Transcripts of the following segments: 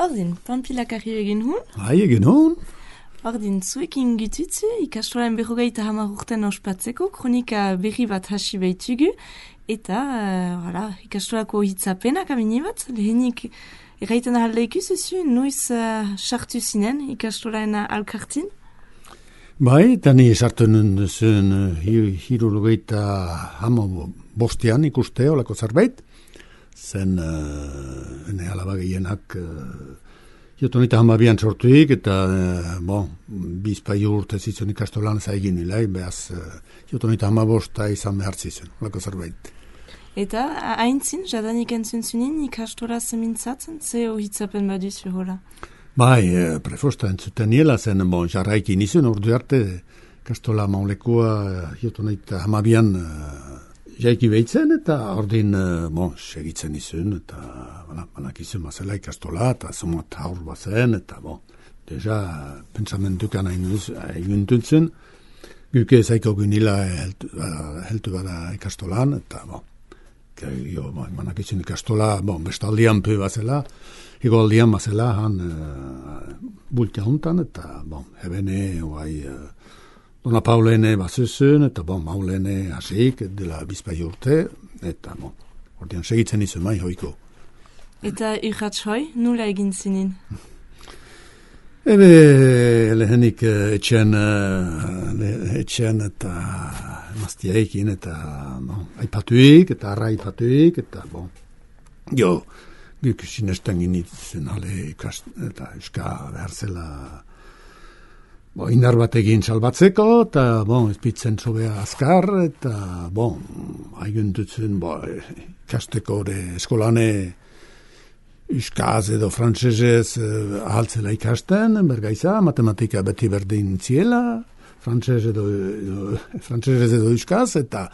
Ordin, Pampilak arri egin hun? Egin hun. Ordin, zuekin gitutze, ikastolan 50 urten ospatzeko, kronika berri bat hasi behitugu, eta, ikastolako hitzapenak amini bat, lehenik erraiten ahaldeik zuzu, noiz sartu zinen ikastolan alkartin? Bai, tani sartu nuen hirurogeita bostean ikuste olako zerbait, zen ene alaba gehienak jotonita 12an sortuik, eta bizpaio urte zitzen ikastolan zaigin nilai, behaz jotonita 15 izan behar zitzen, olako zerbait. Eta haintzin, jadanik entzun zunin ikastola zemintzatzen, ze hitzapen baduzu hola? Bai, prefosta entzuten niela zen, jarraiki nizun, ordu arte, ikastola maulekua jotonita 12an jaiki behitzen, eta ordin, segitzen nizun, eta banak izun mazela ikastola, eta zomat haur bazen, eta deja, pensamentukan egin duntzen, guke zaiko gunila heltu bada ikastolan, eta banak izun ikastola, bestaldian pu bazela, igoldian bazela, han bultia hontan, eta hebene, Dona Paulene bazuzun, eta Maulene hasik, dela bizpai urte, eta ordean segitzen izan mai hoiko. Eta irratz hoi, nula egin zinin? Ebe, lehenik etxen eta maztiaikin, eta aipatuik, eta arra aipatuik, eta guk sinesten ginitzen ale eta euska behar zela indar bat egin salbatzeko, eta, ezpitzen sobea azkar, eta, haiguntutzen, ikasteko eskolane euskaz edo frantsesez ahaltzela ikasten, bergaiza, matematika beti berdin ziela, frantsesez edo euskaz, eta,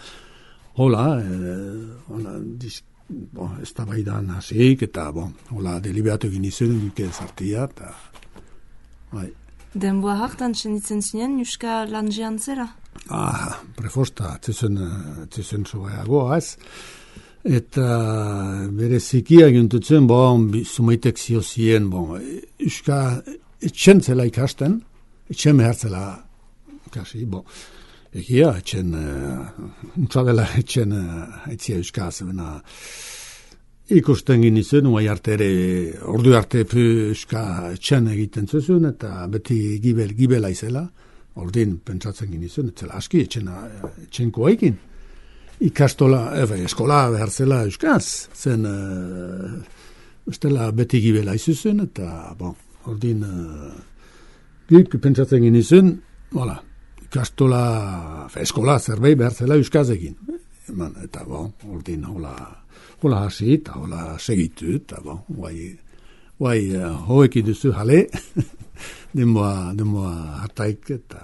ez da baidan hasik, eta, deliberatu egin izun, duke zartia, eta, Denboa hartan txenitzen zinen, Euska lanjean zera? Prefosta, tzuzen sobeagoa ez. Eta bere zikia gintutzen, zumaitek ziozien, Euska etxen zela ikasten, etxen mehartzela ikasi, egia etxen, untsadela etxen aitzia Euska zebena, ikusten ginizen, ordu arte euska etxen egiten zuzun, eta beti gibela izela, ordin pentsatzen ginizen, etzela aski etxenko egin. Ikastola, eskola behar zela euskaz, zen beti gibela izuzun, eta ordin guk pentsatzen ginizen, ikastola, eskola zerbait behar zela euskaz egin. Eta ordin hola hasi, eta hola segitu, eta hoeki duzu jale, denboa hartaik, eta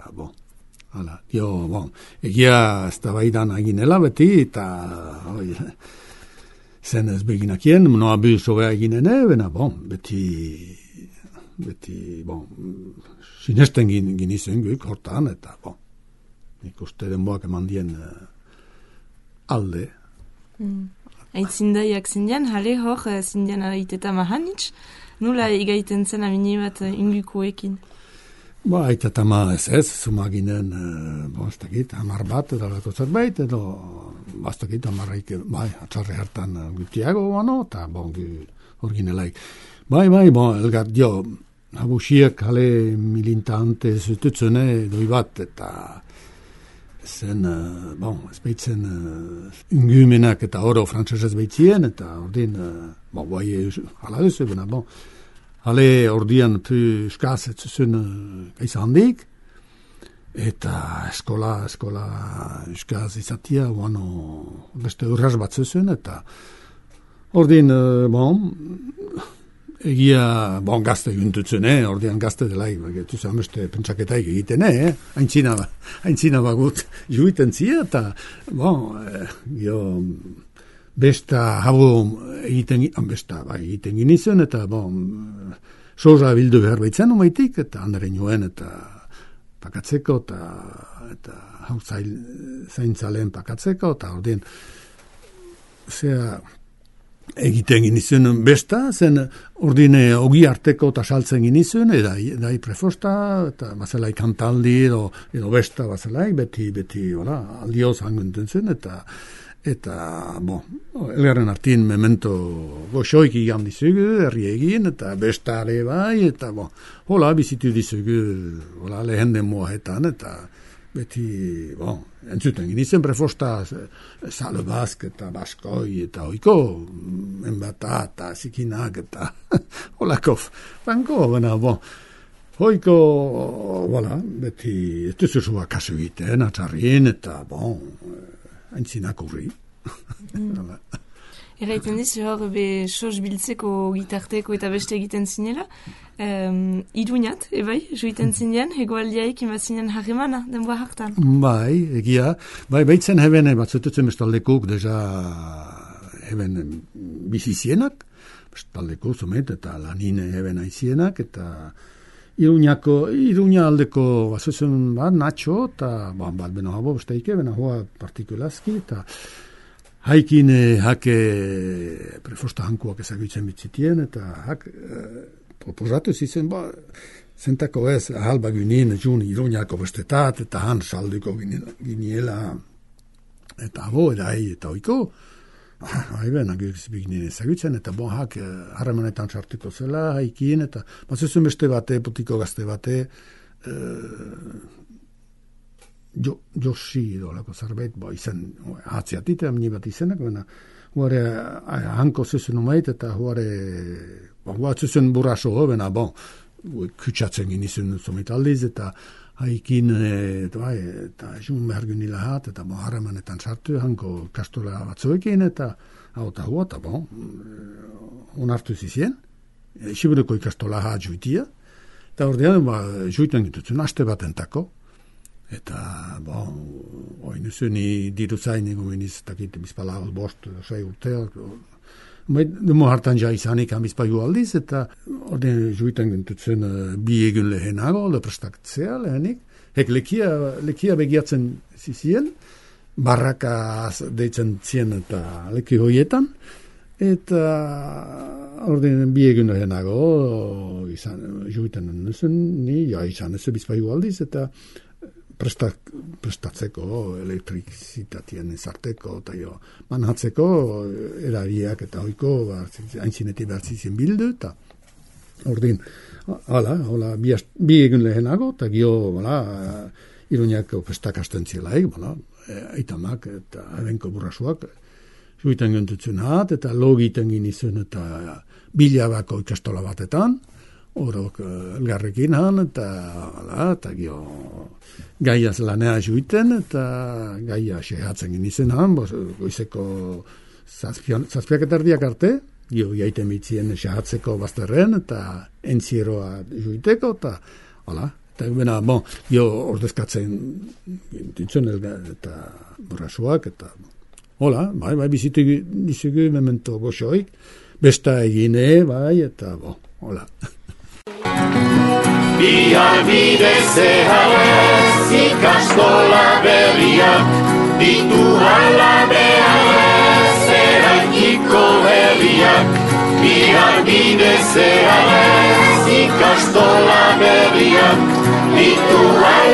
egia ez da baidan eginela beti, eta zen ez beginakien, noa bu sobea eginene, beti, sinesten ginizen guk hortan, eta ikuste denboak eman dien alde. Aitzindaiak zindian, jale hor zindian aiteta mahanitz, nula igaiten zen amini bat ingukoekin? Aiteta ma ez, zuma ginen, ez dakit, 10 bat, edo lako zerbait, edo, ez dakit, 10 atxarre hartan gutiago, eta hor ginelaik. Elgar, habusiek jale milintante zututzune doi bat, eta zen, ez behitzen ingumenak eta oro frantsesez behitzien, eta ordin, hala duzu, hale ordian euskaz etzuzun gaiza handik, eta eskola euskaz izatia, beste urras bat zuzun, eta ordin, egia, gazte gintutzen, ordean gazte delaik, getuzen beste pentsaketaik egiten, haintzina bagut juiten zia, eta, besta habu egiten ginizen, eta, soza bildu behar baitzen umaitik, eta handaren joen, eta pakatzeko, eta hau zaintzaleen pakatzeko, eta ordean, egiten ginizun besta, zen ordine ogi arteko eta saltzen ginizun, edai prefosta, eta bazelai kantaldi edo besta bazelai, beti, aldioz hangunten zen, eta elgarren artin memento goxoik igan dizugu, herri egin, eta besta ere bai, eta hola, bizitu dizugu, hola, lehen demoahetan, eta beti, entzuten ginizen prefosta salebazk eta baskoi eta oiko enbata eta zikinak eta holako franko, hoiko, beti, ez duzuzua kasu egiten, atxarrin eta, haintzinak urri. Eraiten dizu hor, sos biltzeko gitarteko eta beste egiten zinela, iruñat, ebai, joiten zinean, hegoaldiaik inbazinen harremana, denboa hartan. Bai, egia, baitzen heben, batzututzen bestaldekuk, deja heben bizizienak, bestaldeko zumet, eta lanine heben aizienak, eta Iruña aldeko, bazuzen natxo, eta bat beno habo, besteike, bena hoa partikulazki, eta haikin hake prefosta hankuak ezagutzen bitzitien, eta hak proposatu zizen, zentako ez, ahalba ginen, jun Iruñako bestetat, eta han salduko giniela, eta abo, eta oiko, haiben, agirizbik ezagutzen, eta hak harremanetan sartuko zela, haikin, eta bazuzun beste bate, putiko gazte bate, Josi dolako zarbait, izan hatziatit, amni bat izenak, huare hanko zuzun umait, eta huare zuzun buraso, kutsatzen ginizun zomit aldiz, eta haikin, eta jun behar gunila hat, eta harremanetan sartu, hanko kastola batzuekin, eta onartu zizien, Siburuko ikastola hat juitia, eta ordean, juiten gitutzen, aste batentako, eta, oinuzuni diru zain egomeniz, eta kite bizpala bost, sei urteak, demo hartan ja izanik bizpaiu aldiz, eta ordean juiten gitutzen bi egun lehenago, leprestatzea lehenik, hek lekia begiatzen zizien, barraka deitzen zien eta leki hoietan, eta ordean bi egun lehenago juiten nuzun, izan ez bizpaiu aldiz, eta prestatzeko elektrizitatien ezarteko eta manhatzeko erariak eta oiko haintzinetik behartzizien bildu eta ordin hola bi egun lehenago eta Iruñako prestak astentzielaik aitamak eta ebenko burrasuak juiten gentutzen hat eta logiten ginizun eta bilabako ikastola batetan horok elgarrekin han, eta gaiaz lanea juiten, eta gaia sehatzen ginizen han, goizeko zazpiak eta erdiak arte, jaiten bitzien sehatzeko bazterren, eta entzieroa juiteko, eta bena, ordezkatzen dintzen eta burrasuak, eta bai, bizitu dizugu memento goxoik, besta egine, eta Bihar bidez ikastola berriak, ditu hala beharrez eraikiko herriak. Bihar bidez ikastola berriak, ditu hala